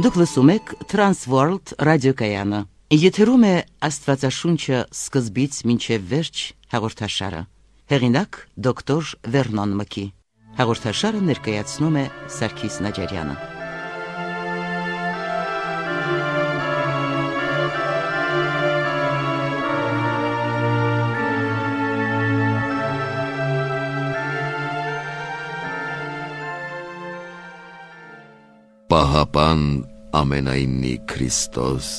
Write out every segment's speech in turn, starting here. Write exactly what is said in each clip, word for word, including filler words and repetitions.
Դուք լսում եք Transworld ռադիոկայանը։ Եթերում է Աստվածաշունչը սկզբից մինչև վերջ հաղորդաշարը։ Հեղինակ դոկտոր Վերնոն Մկի։ Հաղորդաշարը ներկայացնում է Սարգիս Նաջարյանը։ Պահապան ամենայնի Քրիստոս,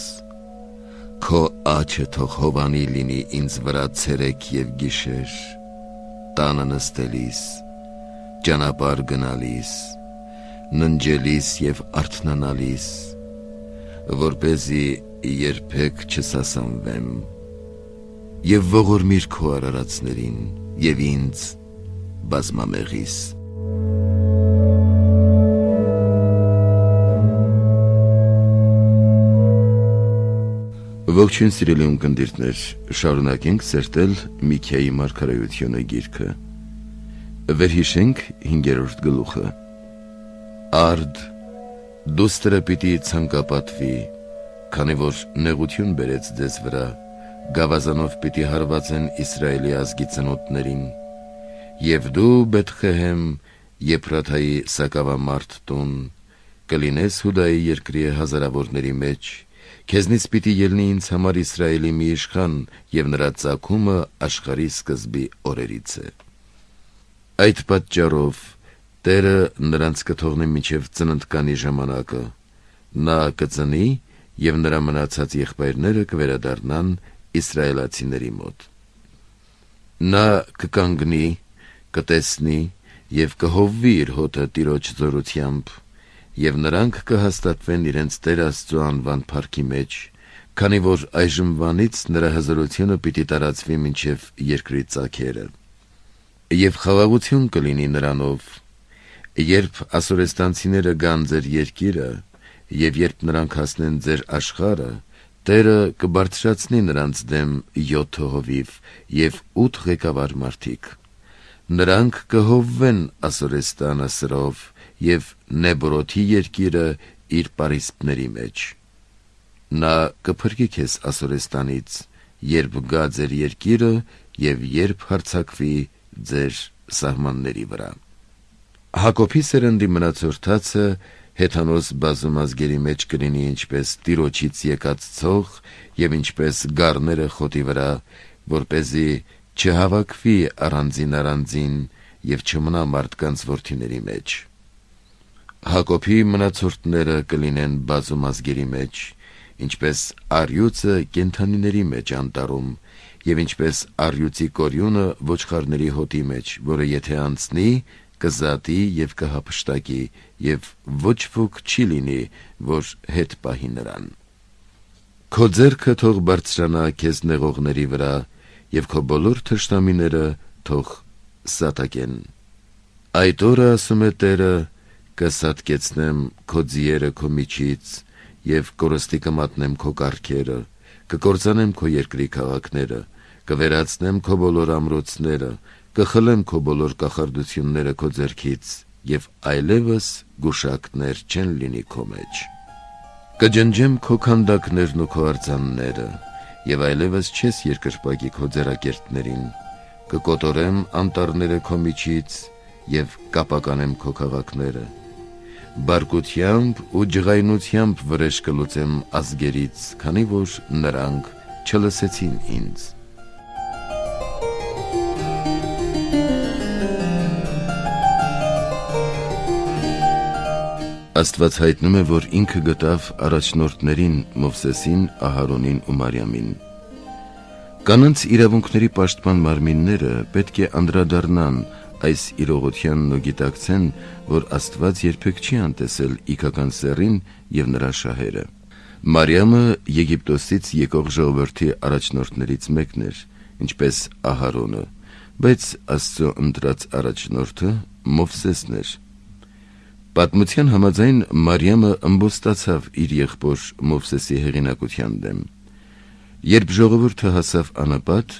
քո աչքը թող հովանի լինի ինձ վրա ցերեկ և գիշեր, տանը նստելիս, ճանապարհ գնալիս, ննջելիս և արթնանալիս, որպեսզի երբեք չսասանվեմ, և ողորմիր քո արարածներին և ինձ բազմամեղիս։ Ողջույն սիրելի ունկնդիրներ, շարունակենք սերտել Միքիայի մարգարեությունը գիրքը։ Վերհիշենք հինգերորդ գլուխը։ Արդ, դուստրը պիտի ցանկապատվի, քանի որ նեղություն բերեց ձեզ վրա, գավազանով պիտի հարվածեն Իսրայելի ազգի ծնոտներին, և դու Բեթխեհեմ Եփրաթայի սակավամարտ տուն, կլինես Հուդայի երկրի հազարավորների մեջ, քեզնից պիտի ելնի ինձ համար Իսրայելի մի իշխան, և նրա ծագումը աշխարհի սկզբի օրերից է։ Այդ պատճառով Տերը նրանց կթողնի մինչև ծննդկանի ժամանակը, նա կծնի, և նրա մնացած եղբայրները կվերադառնան իսրայելացիների մոտ։ Նա կկանգնի, կտեսնի և կհովվի իր հոտը Տիրոջ զորությամբ, և նրանք կհաստատվեն իրենց Տեր Աստծու անվան փառքի մեջ, քանի որ այժմվանից նրա հզորությունը պիտի տարածվի մինչև երկրի ծագերը։ Եվ խաղաղություն կլինի նրանով, երբ ասորեստանցիները գան ձեր երկիրը, և երբ նրանք հասնեն ձեր աշխարհը, Տերը կբարձրացնի նրանց դեմ յոթ հովիվ և ութ ղեկավար մարդիկ։ Նրանք կհովվեն Ասորեստանը սրով և Նեբրոթի երկիրը իր պարիսպների մեջ։ Նա կփրկի քեզ Ասորեստանից, երբ գա ձեր երկիրը և երբ հարձակվի ձեր սահմանների վրա։ Հակոբի սերնդի մնացորդացը հեթանոս բազում ազգերի մեջ կլինի ինչպես Տիրոջից եկած ցող և ինչպես գառները խոտի վրա, որպեսզի չհավաքվի առանձին առանձին և չմնա մարդկանց որդիների մեջ։ Հակոբի մնացորդները կլինեն բազում ազգերի մեջ, ինչպես առյուծը կենդանիների մեջ անտառում, և ինչպես առյուծի կորյունը ոչխարների հոտի մեջ, որը եթե անցնի, կզատի և կհափշտակի, և ոչ ոք չի լինի, որ հետ պահի նրան։ Քո ձեռքը թող բարձրանա քեզ նեղողների վրա, և քո բոլոր թշնամիները թող սատակեն։ Այդ օրը, ասում է Տերը, կսատկեցնեմ քո ձիերը քո միջից, և կորստի կմատնեմ քո կառքերը, կկործանեմ քո երկրի քաղաքները, կվերացնեմ քո բոլոր ամրոցները, կխլեմ քո բոլոր կախարդությունները քո ձեռքից, և այլևս գուշակներ չեն լինի քո մեջ։ Կջնջեմ քո քանդակներն ու քո արձանները, և այլևս չես երկրպագի քո ձեռակերտներին, կկոտորեմ անտառները քո միջից և կապականեմ քո քաղաքները։ Բարկությամբ ու ջղայնությամբ վրեժ կլուծեմ ազգերից, քանի որ նրանք չլսեցին ինձ։ Աստված հայտնում է, որ ինքը գտավ առաջնորդներին Մովսեսին, Ահարոնին ու Մարիամին։ Կանանց իրավունքների պաշտպան մարմինները պետք է անդրադառնան այս իրողությանն ու գիտակցեն, որ Աստված երբեք չի անտեսել իգական սեռին և նրա շահերը։ Մարիամը Եգիպտոսից եկող ժողովրդի առաջնորդներից մեկն էր, ինչպես Ահարոնը, բայց Աստծո ընտրած առաջնորդը Մովսեսն էր։ Պատմության համաձայն Մարիամը ըմբոստացավ իր եղբոր Մովսեսի հեղինակության դեմ։ Երբ ժողովուրդը հասավ անապատ,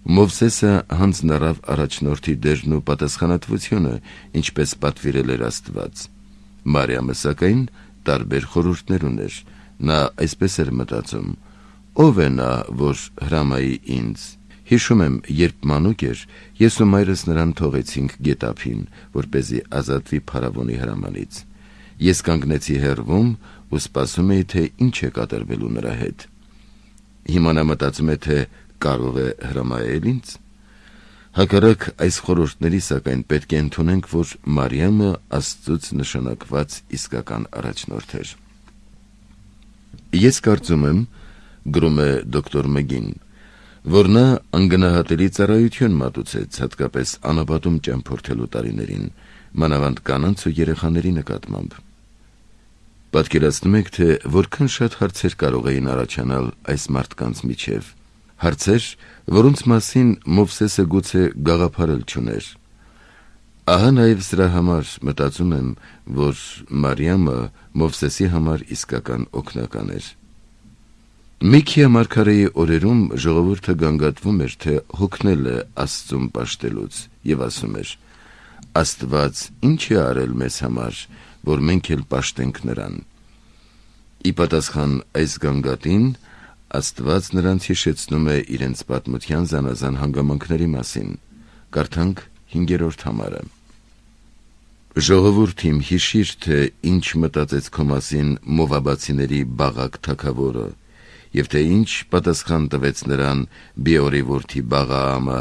Մովսեսը հանձնարավ առաջնորդի դերն ու պատասխանատվությունը, ինչպես պատվիրել էր Աստված։ Մարիամը սակայն տարբեր խորհուրդներ ուներ։ Նա այսպես էր մտածում. ով է նա, որ հրամայի ինձ։ Հիշում եմ, երբ մանուկ էր, ես ու մայրս նրան թողեցինք գետափին, որպեսզի ազատվի փարավոնի հրամանից։ Ես կանգնեցի հեռվում ու սպասում էի, թե ինչ է կատարվելու նրա հետ։ Հիմա նա մտածում է, թե կարող է հրամայել ինձ։ Հակառակ այս խորհուրդների, սակայն պետք է ընդունենք, որ Մարիամը Աստծուց նշանակված իսկական առաջնորդ էր։ Ես կարծում եմ, գրում է դոկտոր Մգին, որ նա անգնահատելի ծառայություն մատուցեց, հատկապես անապատում ճամփորդելու տարիներին, մանավանդ կանանց ու երեխաների նկատմամբ։ Պատկերացնում եք, թե որքան շատ հարցեր կարող էին առաջանալ այս մարդկանց միջև, հարցեր, որոնց մասին Մովսեսը գուցե գաղափարել չուներ։ Ահա նաև սրա համար մտածում եմ, որ Մարիամը Մովսեսի համար իսկական օգնական էր։ Միքիա մարգարեի օրերում ժողովուրդը գանգատվում էր, թե հոգնել է Աստծուն պաշտելուց եւ ասում էր. Աստված ինչ է արել մեզ համար, որ մենք էլ պաշտենք նրան։ Ի պատասխան այս գանգատին Աստված նրանց հիշեցնում է իրենց պատմության զանազան հանգամանքների մասին։ Կարդանք հինգերորդ համարը։ Ժողովուրդ իմ, հիշիր, թե ինչ մտածեց քո մասին Մովաբացիների Բաղակ թագավորը, եւ թե ինչ պատասխան տվեց նրան Բիորի որդի Բաղաամը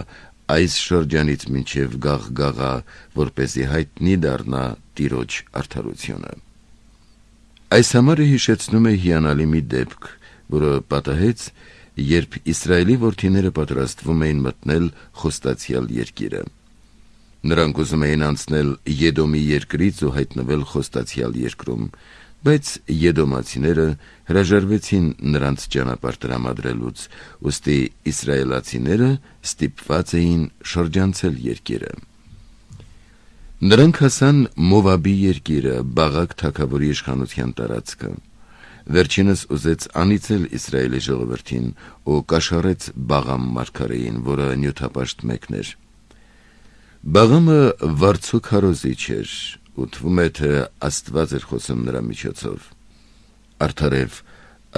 այս շրջանից մինչև Գաղգաղա, որպեսզի հայտնի դառնա Տիրոջ արդարությունը։ Այս համարը հիշեցնում է հիանալի մի դեպք, որը պատահեց, երբ Իսրայելի որդիները պատրաստվում էին մտնել խոստացյալ երկիրը։ Նրանք ուզում էին անցնել Եդոմի երկրից ու հայտնվել խոստացյալ երկրում, բայց եդոմացիները հրաժարվեցին նրանց ճանապարհ տրամադրելուց, ուստի իսրայելացիները ստիպված էին շրջանցել երկիրը։ Նրանք հասան Մովաբի երկիրը, Բաղակ թագավորի իշխանության տարածքը։ Վերջինս ուզեց անիծել Իսրայելի ժողովրդին ու կաշառեց Բաղամ մարգարեին, որը նյութապաշտ մեկն էր։ Բաղամը վարձու քարոզիչ էր, ու թվում է, թե Աստված էր խոսում նրա միջոցով։ Արդարև,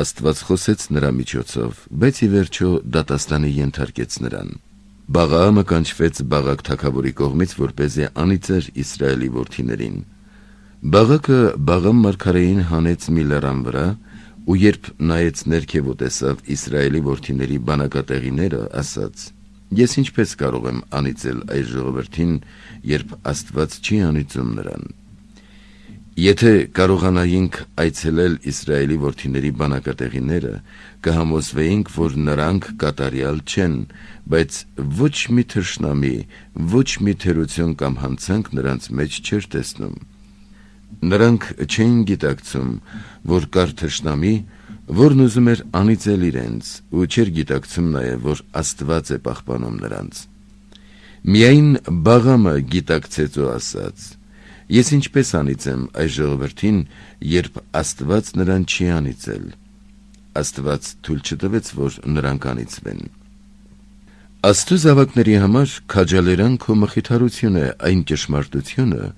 Աստված խոսեց նրա միջոցով, բայց ի վերջո դատաստանի ենթարկեց նրան։ Բաղաամը կանչվեց Բաղակ թագավորի կողմից, որպեսզի անիծեր Իսրայելի որդիներին։ Բաղակը Բաղամ մարգարեին հանեց մի լեռան վրա, ու երբ նայեց ներքև ու տեսավ Իսրայելի որդիների բանակատեղիները, ասաց. Ես ինչպես կարող եմ անիծել այս ժողովրդին, երբ Աստված չի անիծում նրան։ Եթե կարողանայինք այցելել Իսրայելի որդիների բանակատեղիները, կհամոզվեինք, որ նրանք կատարյալ չեն, բայց ոչ մի թշնամի, ոչ մի թերություն կամ հանցանք նրանց մեջ չէր տեսնում։ Նրանք չէին գիտակցում, որ կար թշնամի, որն ուզում էր անիծել իրենց, ու չէր գիտակցում նաև, որ Աստված է պահպանում նրանց։ Միայն Բաղամը գիտակցեց ու ասաց. Ես ինչպես անիծեմ այս ժողովրդին, երբ Աստված նրան չի անիծել։ Աստված թույլ չտվեց, որ նրանք անիծվեն։ Աստծո զավակների համար քաջալերանք ու մխիթարություն է այն ճշմարտությունը,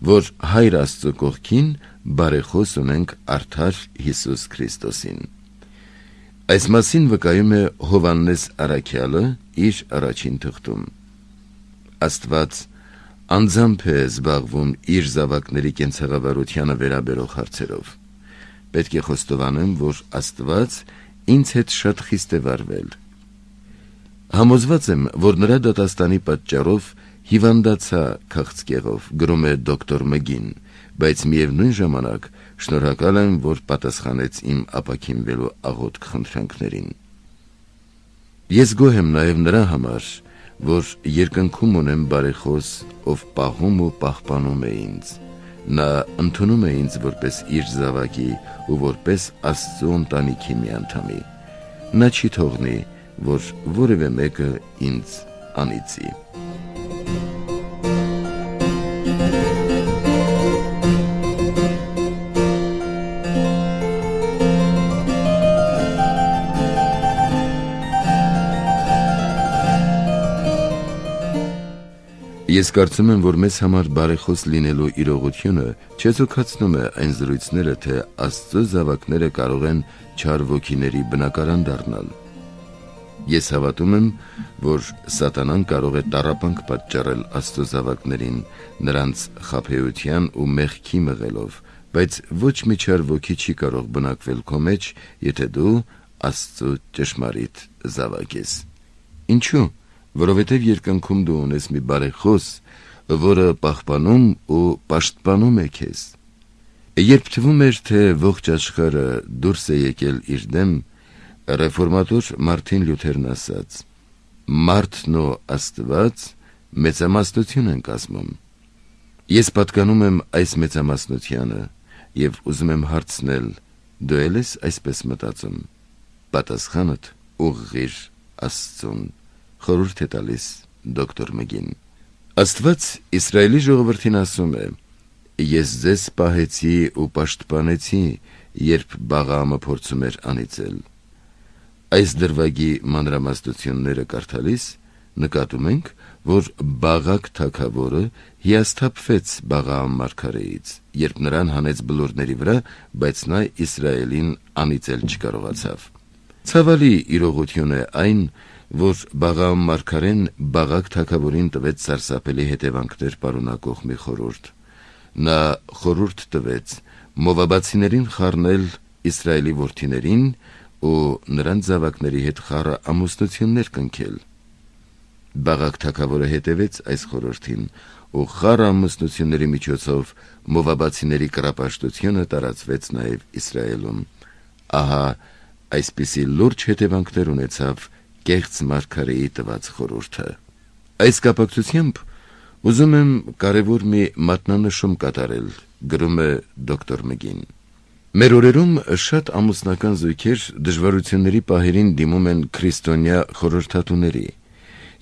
որ Հայր Աստծո կողքին բարեխոս ունենք արդար Հիսուս Քրիստոսին։ Այս մասին վկայում է Հովհաննես առաքյալը իր առաջին թղթում։ Աստված անձամբ է զբաղվում իր զավակների կենցաղավարությանը վերաբերող հարցերով։ Պետք է խոստովանեմ, որ Աստված ինձ հետ շատ խիստ է վարվել։ Համոզված եմ, որ նրա դատաստանի պատճառով հիվանդացա քաղցկեղով, գրում է դոկտոր Մգին, բայց միևնույն ժամանակ շնորհակալ եմ, որ պատասխանեց իմ ապաքինվելու աղոթք խնդրանքներին։ Ես գոհ եմ նաև նրա համար, որ երկնքում ունեմ բարեխոս, ով պահում ու պահպանում է ինձ։ Նա ընդունում է ինձ որպես իր զավակի ու որպես Աստծո ընտանիքի մի անդամի։ Նա չի թողնի, որ որևէ մեկը ինձ անիծի։ Ես կարծում եմ, որ մեզ համար բարեխոս լինելու իրողությունը չեզոքացնում է այն զրույցները, թե Աստծո զավակները կարող են չար ոգիների բնակարան դառնալ։ Ես հավատում եմ, որ Սատանան կարող է տառապանք պատճառել Աստծո զավակներին նրանց խաբեության ու մեղքի մղելով, բայց ոչ մի չար ոգի չի կարող բնակվել քո մեջ, եթե դու Աստծո ճշմարիտ զավակ ես։ Ինչու՞։ Որովհետև երկնքում դու ունես մի բարեխոս, որը պահպանում ու պաշտպանում է քեզ։ Երբ թվում էր, թե ողջ աշխարհը դուրս է եկել իր դեմ, ռեֆորմատոր Մարտին Լյութերն ասաց. «Մարդն ու Աստված մեծամասնություն են կազմում»։ Ես պատկանում եմ այս մեծամասնությանը եւ ուզում եմ հարցնել. դու ե՞լ ես այսպես մտածում։ Պատասխանդ ուղղիր Աստծուն։ Խորհուրդ է տալիս դոկտոր Մգին։ Աստված Իսրայելի ժողովրդին ասում է. «Ես ձեզ պահեցի ու պաշտպանեցի, երբ Բաղաամը փորձում էր անիծել»։ Այս դրվագի մանրամասնությունները կարդալիս նկատում ենք, որ Բաղակ թագավորը հիասթափվեց Բաղաամ մարգարեից, երբ նրան հանեց բլուրների վրա, բայց նա Իսրայելին անիծել չկարողացավ։ Ցավալի իրողություն է այն, որ Բաղաամ մարգարեն Բաղակ թագավորին տվեց սարսափելի հետևանքներ պարունակող մի խորհուրդ։ Նա խորհուրդ տվեց մովաբացիներին խառնել Իսրայելի որդիներին ու նրանց զավակների հետ խառը ամուսնություններ կնքել։ Բաղակ թագավորը հետևեց այս խորհրդին ու խառը ամուսնությունների միջոցով մովաբացիների կռապաշտությունը տարածվեց նաև Իսրայելում։ Ահա այսպիսի լուրջ հետևանքներ ունեցավ կեղծ մարգարեի տված խորհուրդը։ Այս կապակցությամբ ուզում եմ կարևոր մի մատնանշում կատարել, գրում է դոկտոր Մգին։ Մեր օրերում շատ ամուսնական զույգեր դժվարությունների պահերին դիմում են քրիստոնյա խորհրդատուների,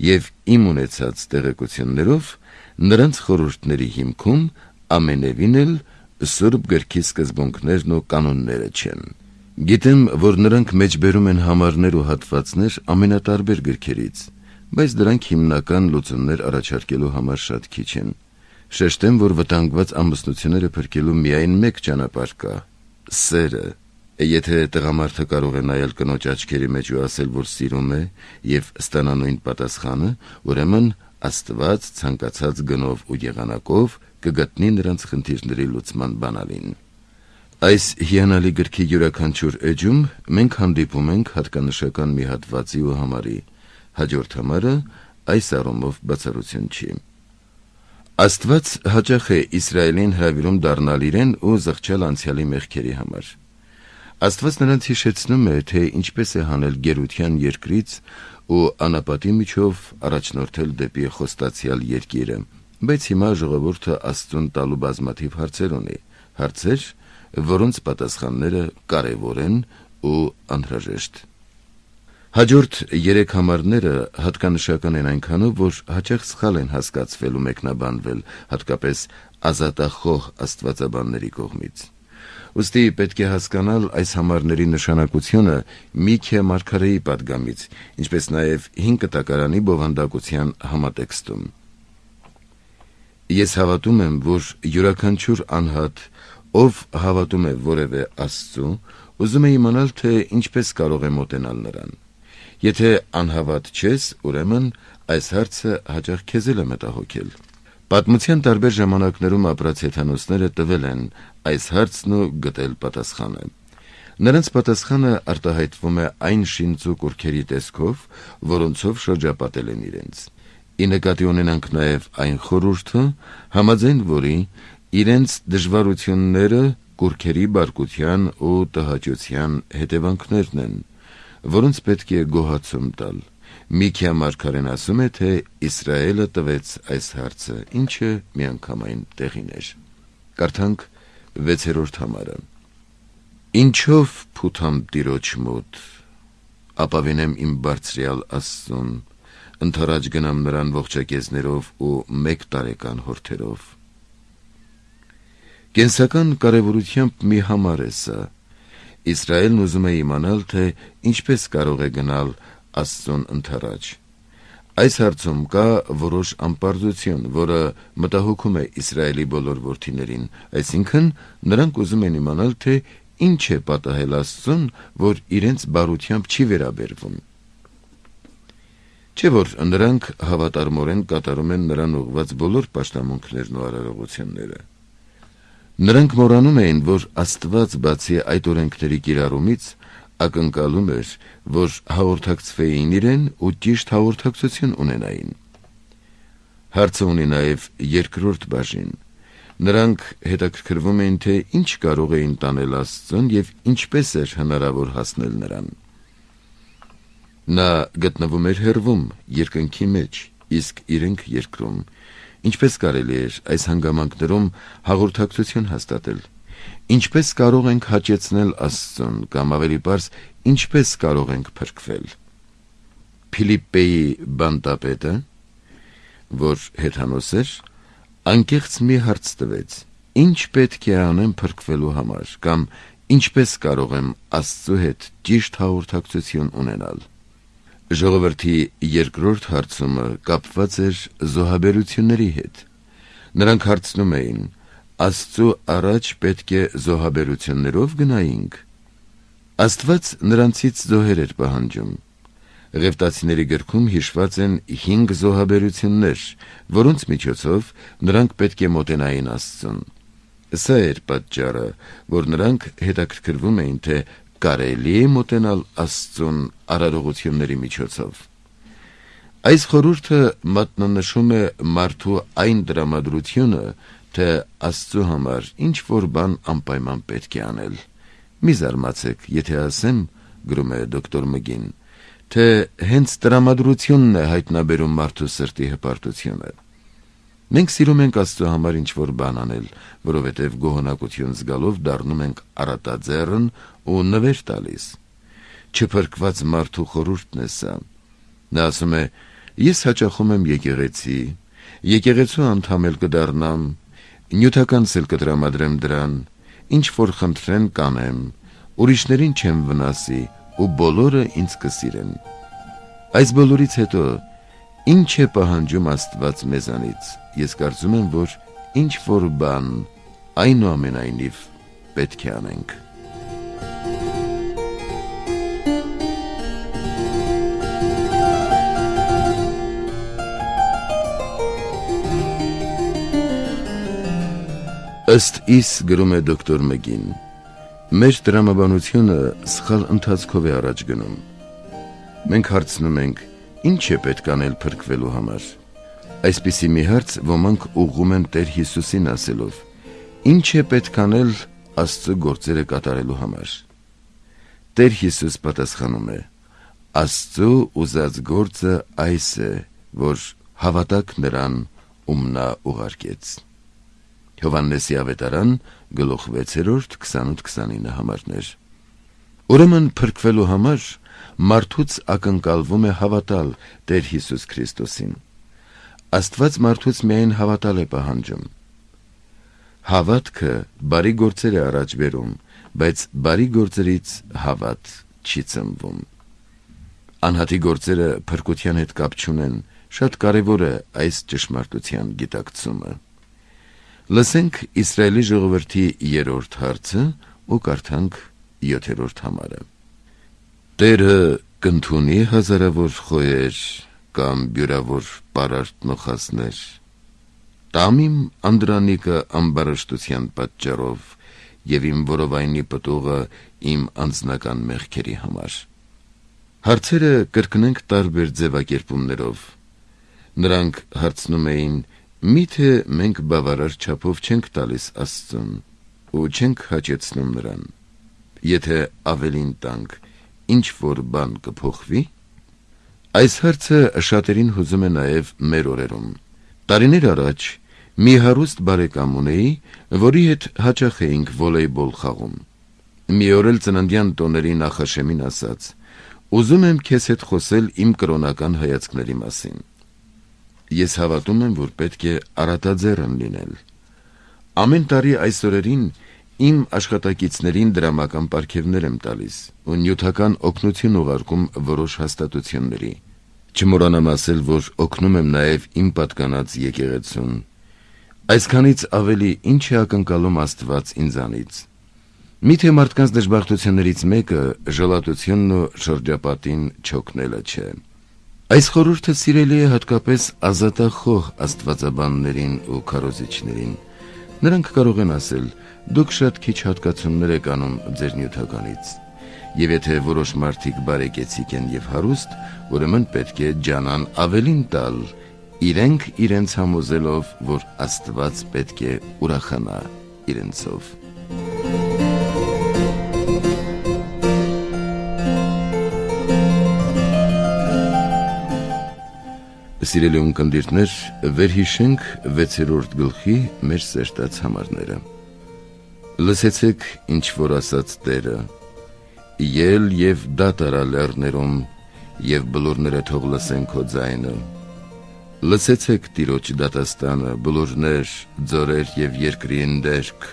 եւ իմ ունեցած տեղեկություններով նրանց խորհուրդների հիմքում ամենևին էլ Սուրբ գրքի սկզբունքներն ու կանոնները չեն։ Գիտեմ, որ նրանք մեջբերում են համարներ ու հատվածներ ամենատարբեր գրքերից, բայց դրանք հիմնական լուծումներ առաջարկելու համար շատ քիչ են։ Շեշտեմ, որ վտանգված ամուսնությունները փրկելու միայն մեկ ճանապարհ կա՝ սերը։ Եթե տղամարդը կարող է նայել կնոջ աչքերի մեջ ու ասել, որ սիրում է եւ ստանա նույն պատասխանը, ուրեմն Աստված ցանկացած գնով ու եղանակով կգտնի նրանց խնդիրների լուծման բանալին։ Այս հիանալի գրքի յուրաքանչյուր էջում մենք հանդիպում ենք հատկանշական մի հատվածի ու համարի, հաջորդ համարը այս առումով բացառություն չի։ Աստված հաճախ է Իսրայելին հրավիրում դառնալ իրեն ու զղջալ անցյալի մեղքերի համար։ Աստված նրանց հիշեցնում է, թե ինչպես է հանել գերության երկրից ու անապատի միջով առաջնորդել դեպի խոստացյալ երկիրը, բայց հիմա ժողովուրդը Աստծուն տալու բազմաթիվ հարցեր ունի, հարցեր, որոնց պատասխանները կարևոր են ու անհրաժեշտ։ Հաջորդ երեք համարները հատկանշական են այնքանով, որ հաճախ սխալ են հասկացվել ու մեկնաբանվել, հատկապես ազատախոհ աստվածաբանների կողմից։ Ուստի պետք է հասկանալ այս համարների նշանակությունը Միքիա մարգարեի պատգամից, ինչպես նաև հին կտակարանի բովանդակության համատեքստում։ Ես հավատում եմ, որ յուրաքանչյուր անհատ, ով հավատում է որևէ Աստծու, ուզում է իմանալ, թե ինչպես կարող է մոտենալ նրան։ Եթե անհավատ չես, ուրեմն այս հարցը հաճախ քեզ էլ է մտահոգել։ Պատմության տարբեր ժամանակներում ապրած հեթանոսները տվել են այս հարցն ու գտել պատասխանը։ Նրանց պատասխանը արտահայտվում է այն շինծու կուրքերի տեսքով, որոնցով շրջապատել են իրենց։ Ի նկատի ունենանք նաև այն խորհուրդը, համաձայն որի իրենց դժվարությունները կուրքերի բարկության ու տհաճության հետևանքներն են, որոնց պետք է գոհացում տալ։ Միքիա մարգարեն ասում է, թե Իսրայելը տվեց այս հարցը, ինչը միանգամայն տեղին էր։ Կարդանք վեցերորդ համարը։ Ինչով փութամ Տիրոջ մոտ, ապավինեմ իմ բարձրյալ Աստծուն, ընդառաջ գնամ նրան ողջակեզներով ու մեկ տարեկան հորթերով։ Կենսական կարևորությամբ մի համար է սա։ Իսրայելն ուզում է իմանալ, թե ինչպես կարող է գնալ Աստծուն ընդառաջ։ Այս հարցում կա որոշ անպարզություն, որը մտահոգում է Իսրայելի բոլոր որդիներին, այսինքն նրանք ուզում են իմանալ, թե ինչ է պատահել Աստծուն, որ իրենց բարությամբ չի վերաբերվում։ Չէ՞ որ նրանք հավատարմորեն կատարում են նրան ուղղված բոլոր պաշտամունքներն ու արարողությունները։ Նրանք մոռանում էին, որ Աստված բացի այդ օրենքների կիրառումից ակնկալում էր, որ հաղորդակցվեին իրեն ու ճիշտ հաղորդակցություն ունենային։ Հարցը ունի նաև երկրորդ բաժին։ Նրանք հետաքրքրվում էին, թե ինչ կարող էին տանել Աստծուն և ինչպես էր հնարավոր հասնել նրան։ Նա գտնվում էր հեռվում, երկնքի մեջ, իսկ իրենք երկրում։ Ինչպես կարելի էր այս հանգամանքներում հաղորդակցություն հաստատել։ Ինչպես կարող ենք հաճեցնել Աստծուն, կամ ավելի պարզ, ինչպես կարող ենք փրկվել։ Փիլիպպեի բանտապետը, որ հեթանոս էր, անկեղծ մի հարց տվեց. ինչ պետք է անեմ փրկվելու համար, կամ ինչպես կարող եմ Աստծու հետ ճիշտ հաղորդակցություն ունենալ։ Ժողովրդի երկրորդ հարցումը կապված էր զոհաբերությունների հետ։ Նրանք հարցնում էին. Աստծու առաջ պետք է զոհաբերություններով գնայինք։ Աստված նրանցից զոհեր էր պահանջում։ Ղևտացիների գրքում հիշված են հինգ զոհաբերություններ, որոնց միջոցով նրանք պետք է մոտենային Աստծուն։ Սա էր պատճառը, որ նրանք հետաքրքրվում էին, թե կարելի է մոտենալ Աստծուն արարողությունների միջոցով։ Այս խորհուրդը մատնանշում է մարդու այն տրամադրությունը, թե Աստծու համար ինչ-որ բան անպայման պետք է անել։ Մի զարմացեք, եթե ասեմ, գրում է դոկտոր Մգին, թե հենց տրամադրությունն է հայտնաբերում մարդու սրտի հպարտությունը։ Մենք սիրում ենք Աստծու համար ինչ-որ բան անել, որովհետև գոհունակություն զգալով դառնում ենք արատաձեռն ու նվեր տալիս։ Չփրկված մարդու խորհուրդն է սա։ Նա ասում է. ես հաճախում եմ եկեղեցի, եկեղեցու անդամ էլ կդառնամ, նյութականս էլ կտրամադրեմ դրան, ինչ որ խնդրեն կանեմ, ուրիշներին չեմ վնասի ու բոլորը ինձ կսիրեն։ Այս բոլորից հետո ինչ է պահանջում Աստված մեզանից։ Ես կարծում եմ, որ ինչ որ բան այնուամենայնիվ պետք է անենք։ Ըստ իս, գրում է դոկտոր Մգին, մեր տրամաբանությունը սխալ ընթացքով է առաջ գնում։ Մենք հարցնում ենք, ինչ է պետք անել փրկվելու համար։ Այսպիսի մի հարց ոմանք ուղղում են Տեր Հիսուսին ասելով. ինչ է պետք անել Աստծու գործերը կատարելու համար։ Տեր Հիսուս պատասխանում է. Աստծու ուզած գործը այս է, որ հավատաք նրան, ում նա ուղարկեց։ Հովհաննեսի ավետարան, գլուխ վեցերորդ, քսանութ քսանինը համարներ։ Ուրեմն փրկվելու համար մարդուց ակնկալվում է հավատալ Տեր Հիսուս Քրիստոսին։ Աստված մարդուց միայն հավատալ է պահանջում։ Հավատքը բարի գործեր է առաջ բերում, բայց բարի գործերից հավատ չի ծնվում։ Անհատի գործերը փրկության հետ կապ չունեն, շատ կարևոր է այս ճշմարտության գիտակցումը։ Լսենք Իսրայելի ժողովրդի երրորդ հարցը ու կարդանք յոթերորդ համարը։ Տերը կընդունի հազարավոր խոյեր կամ բյուրավոր պարարտ նոխասներ, տամ իմ անդրանիկը ամբարշտության պատճառով և իմ որովայնի պտուղը իմ անձնական մեղքերի համար։ Հարցերը կրկնենք տարբեր ձևակերպումներով։ Նրանք հարցնում էին. միթե մենք բավարար չափով չենք տալիս Աստծուն ու չենք հաճեցնում նրան։ Եթե ավելին տանք, ինչ որ բան կփոխվի։ Այս հարցը շատերին հուզում է նաև մեր օրերում։ Տարիներ առաջ մի հարուստ բարեկամ ունեի, որի հետ հաճախ էինք վոլեյբոլ խաղում։ Մի օր էլ ծննդյան տոների նախաշեմին ասաց. ուզում եմ քեզ հետ խոսել իմ կրոնական հայացքների մասին։ Ես հավատում եմ, որ պետք է արատաձեռն լինել։ Ամեն տարի այս օրերին իմ աշխատակիցներին դրամական պարգևներ եմ տալիս ու նյութական օգնություն ուղարկում որոշ հաստատությունների։ Չմոռանամ ասել, որ օգնում եմ նաև իմ պատկանած եկեղեցուն։ Այսքանից ավելի ինչ է ակնկալում Աստված ինձանից։ Միթե մարդկանց դժբախտություններից մեկը ժլատությունն ու շրջապատին չօգնելը չէ։ Այս խորհուրդը սիրելի է հատկապես ազատախոհ աստվածաբաններին ու քարոզիչներին։ Նրանք կարող են ասել. դուք շատ քիչ հատկացումներ եք անում ձեր նյութականից, եւ եթե որոշ մարդիկ բարեկեցիկ են եւ հարուստ, ուրեմն պետք է ջանան ավելին տալ, իրենք իրենց համոզելով, որ Աստված պետք է ուրախանա իրենցով։ Սիրելի ունկնդիրներ, վերհիշենք վեցերորդ գլխի մեր սերտած համարները։ Լսեցեք, ինչ որ ասաց Տերը. ել եւ դատարա լեռներում, եւ բլուրները թող լսեն քո ձայնը։ Լսեցեք Տիրոջ դատաստանը, բլուրներ, ձորեր եւ երկրի ընդերք։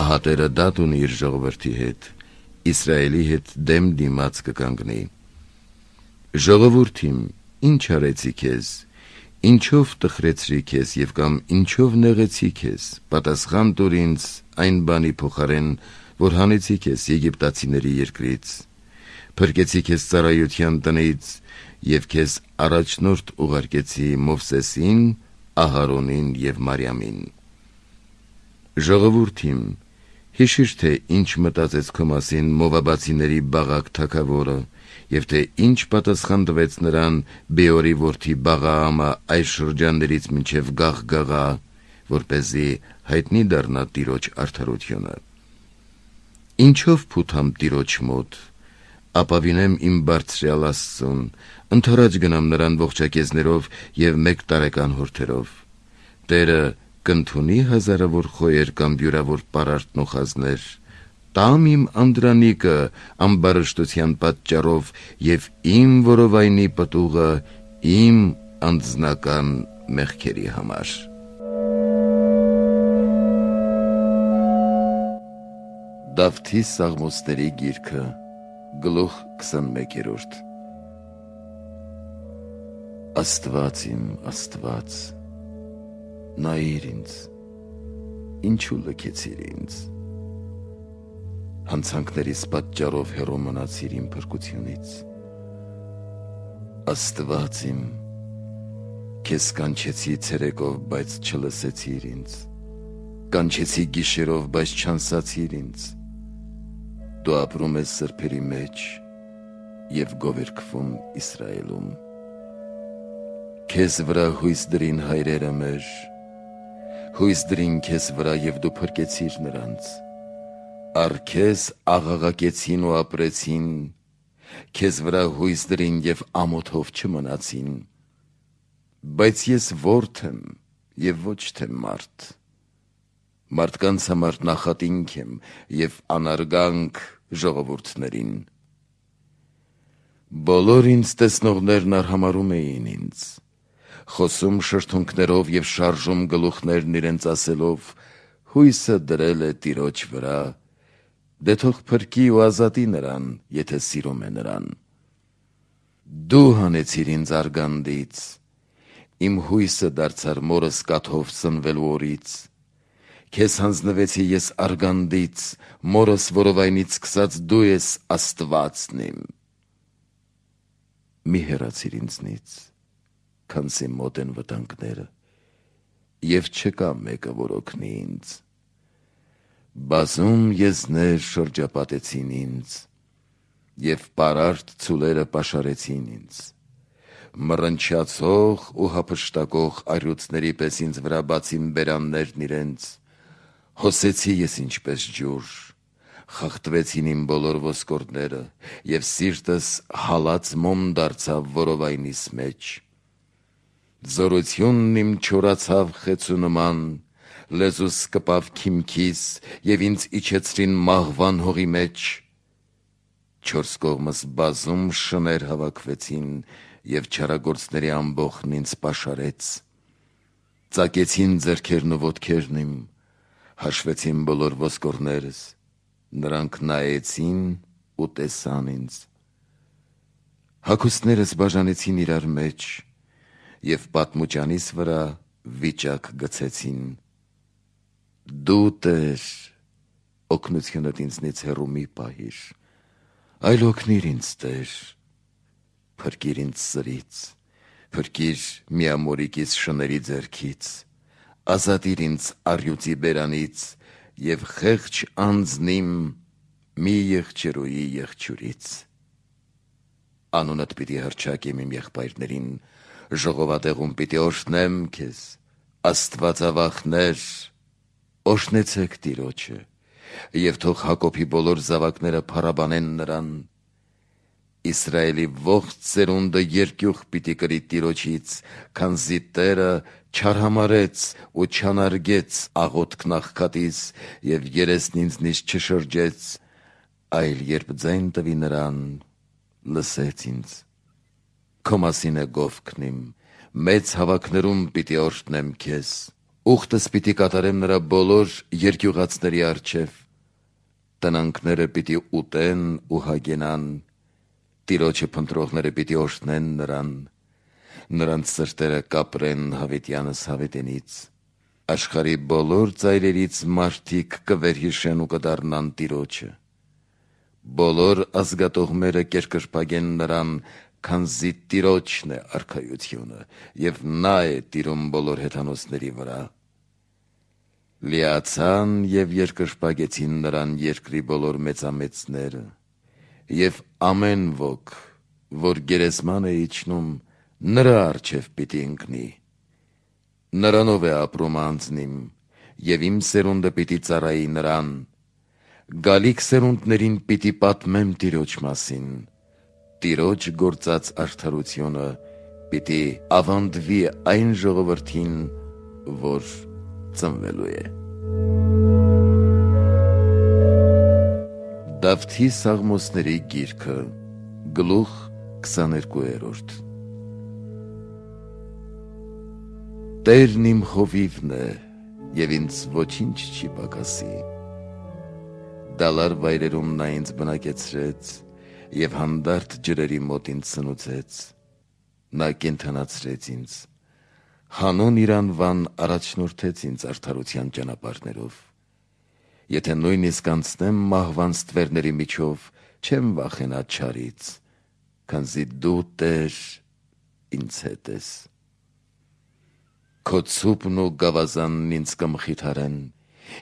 Ահա Տերը դատ ունի իր ժողովրդի հետ, Իսրայելի հետ դեմ դիմաց կկանգնի։ Ժողովուրդ իմ, ինչ արեցի քեզ, ինչով տխրեցրի քեզ եւ կամ ինչով նեղեցի քեզ, պատասխան տուր ինձ այն բանի փոխարեն, որ հանեցի քեզ եգիպտացիների երկրից, փրկեցի քեզ ծառայության տնից եւ քեզ առաջնորդ ուղարկեցի Մովսեսին, Ահարոնին եւ Մարիամին։ Ժողովուրդ իմ, հիշիր, թե ինչ մտածեց քո մասին Մովաբացիների Բաղակ թագավորը, եւ թե ինչ պատասխան տվեց նրան Բեորի որդի Բաղաամը այս շրջաններից մինչև Գաղգաղա, որպեսզի հայտնի դառնա Տիրոջ արդարությունը։ Ինչով փութամ Տիրոջ մոտ, ապավինեմ իմ բարձրյալ Աստծուն, ընդառաջ գնամ նրան ողջակեզներով եւ մեկ տարեկան հորթերով։ Տերը կընդունի հազարավոր խոյեր կամ յուրավոր պարարտ նոխազներ, տամ իմ անդրանիկը ամբարշտության պատճառով եւ իմ որովայնի պտուղը իմ անձնական մեղքերի համար։ Դավթի Սաղմոսների գիրքը, գլուխ քսանմեկերորդ։ Աստված իմ, Աստված, նայիր ինձ, ինչու լքեցիր ինձ, հանցանքներիս պատճառով հեռու մնացիր իմ փրկությունից։ Աստված իմ, քեզ կանչեցի ցերեկով, բայց չլսեցիր ինձ, կանչեցի գիշերով, բայց չանսացիր ինձ։ Դու ապրում ես սրբերի մեջ եւ գովերգվում Իսրայելում։ Քեզ վրա հույս դրին հայրերը մեր, հույս դրին քեզ վրա եւ դու փրկեցիր նրանց։ Առ քեզ աղաղակեցին ու ապրեցին, քեզ վրա հույս դրին եւ ամոթով չմնացին։ Բայց ես որդն եմ եւ ոչ թե մարդ, մարդկանց համար նախատինք եմ եւ անարգանք ժողովուրդներին։ Բոլոր ինձ տեսնողներն արհամարում էին ինձ, խոսում շրթունքներով եւ շարժում գլուխներն իրենց ասելով. հույսը դրել է Տիրոջ վրա, դե թող փրկի ու ազատի նրան, եթե սիրում է նրան։ Դու հանեցիր ինձ արգանդից, իմ հույսը դարձար մորս կաթով սնվելու օրից։ Քեզ հանձնվեցի ես արգանդից, մորս որովայնից սկսած դու ես Աստվածն իմ։ Մի հեռացիր ինձնից, քանզի մոտ են վտանգները, եւ չկա մեկը, որ օգնի ինձ։ Բազում եզներ շրջապատեցին ինձ, եւ պարարտ ցուլերը պաշարեցին ինձ։ Մռնչացող ու հափշտակող առյուծների պես ինձ վրա բացին բերաններն իրենց, հոսեցի ես ինչպես ջուր, խախտվեցին իմ բոլոր ոսկորները, եւ սիրտս հալած մոմ դարձավ որովայնիս մեջ։ Զորությունն իմ չորացավ խեցու նման, լեզուս կպավ քիմքիս եւ ինձ իջեցրին մահվան հողի մեջ։ Չորս կողմս բազում շներ հավաքվեցին եւ չարագործների ամբոխն ինձ պաշարեց։ Ծակեցին ձեռքերն ու ոտքերն իմ, հաշվեցին բոլոր ոսկորներս, նրանք նայեցին ու տեսան ինձ։ Հագուստներս բաժանեցին իրար մեջ և պատմուճանիս վրա վիճակ գցեցին։ Դու Տեր, օգնությունդ ինձնից հեռու մի պահիր, այլ օգնիր ինձ Տեր, փրկիր ինձ սրից, փրկիր միամորիկիս շների ձեռքից, ազատիր ինձ առյուծի բերանից և խեղճ անձնիմ մի եղջերուի եղջյուրից։ Անունդ պիտի հռչակեմ իմ եղբայրներին, ժողովատեղում պիտի օրհնեմ քեզ, Աստվածավախներ, օրհնեցեք Տիրոջը, և թող Հակոբի բոլոր զավակները փառաբանեն նրան։ Իսրայելի ողջ ծերունդը երկյուղ պիտի կրի Տիրոջից, քանզի Տերը չարհամարեց ու չանարգեց աղոթքն աղքատիս և երեսն ինձնից չշրջեց, այլ երբ ձայն տվի նրան, լսեց ինձ։ Քո մասին է գովքն իմ, մեծ հավաքներում պիտի օրհնեմ քեզ, ուխտս պիտի կատարեմ նրա բոլոր երկյուղածների առջև, տնանքները պիտի ուտեն ու հագենան, Տիրոջը փնտրողները պիտի օրհնեն նրան, նրանց սրտերը կապրեն հավիտյանս հավիտենից, աշխարհի բոլոր ծայրերից մարդիկ կվերհիշեն ու կդառնան Տիրոջը, բոլոր ազգատողները կերկրպագեն նրան, քանզի Տիրոջն է արքայությունը, և նա է տիրում բոլոր հեթանոսների վրա։ Լիացան և երկրպագեցին նրան երկրի բոլոր մեծամեծները, և ամեն ոք, որ գերեզման է իջնում, նրա առջև պիտի ընկնի։ Նրանով է ապրում անձնիմ, և իմ սերունդը պիտի ծառայի նրան, գալիք սերունդներին պիտի պատմեմ Տիրոջ մասին, Տիրոջ գործած արդարությունը պիտի ավանդվի այն ժողովրդին, որ ծնվելու է։ Դավթի Սաղմոսների գիրքը, գլուխ քսաներկուերորդ։ Տերն իմ խովիվն է, և ինձ ոչինչ չի պակասի։ Դալար վայրերում նա ինձ բնակեցրեց, և հանդարտ ջրերի մոտ ինձ սնուցեց։ Նա կենդանացրեց ինձ, հանուն իր անվան առաջնորդեց ինձ արդարության ճանապարհներով։ Եթե նույնիսկ անցնեմ մահվան ստվերների միջով, չեմ վախենա չարից, քանզի դու Տեր ինձ հետ ես։ Քո ցուպն ու գավազանն ինձ կմխիթարեն,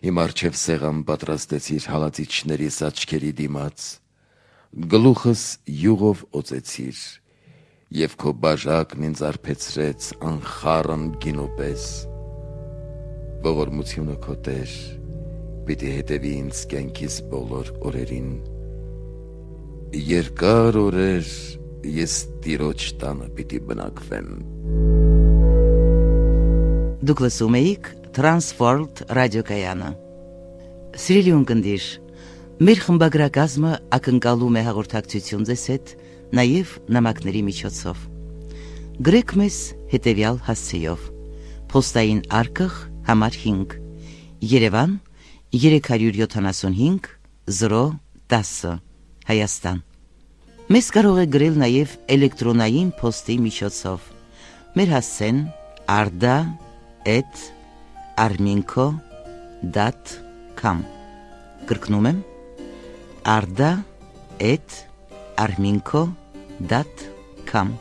իմ առջև սեղան պատրաստեցիր հալածիչներիս աչքերի դիմաց, գլուխս յուղով օծեցիր, և քո բաժակն ինձ արբեցրեց անխառն գինու պես։ Ողորմությունը քո Տեր պիտի հետևի ինձ կյանքիս բոլոր օրերին, երկար օրեր ես Տիրոջ տանը պիտի բնակվեմ։ Դուք լսում էիք Transworld ռադիոկայանը։ Սիրելի ունկնդիր, մեր խմբագրակազմը ակնկալում է հաղորդակցություն ձեզ հետ նաև նամակների միջոցով։ Գրեք մեզ հետևյալ հասցեով. Պոստային արկղ համար հինգ, Երևան երեք հարյուր յոթանասունհինգ զրո տասը, Հայաստան։ Մեզ կարող է գրել նաև էլեկտրոնային պոստի միջոցով։ Մեր հասցեն arda at arminco dot com։ Կրկնում եմ arda at arminco dot com։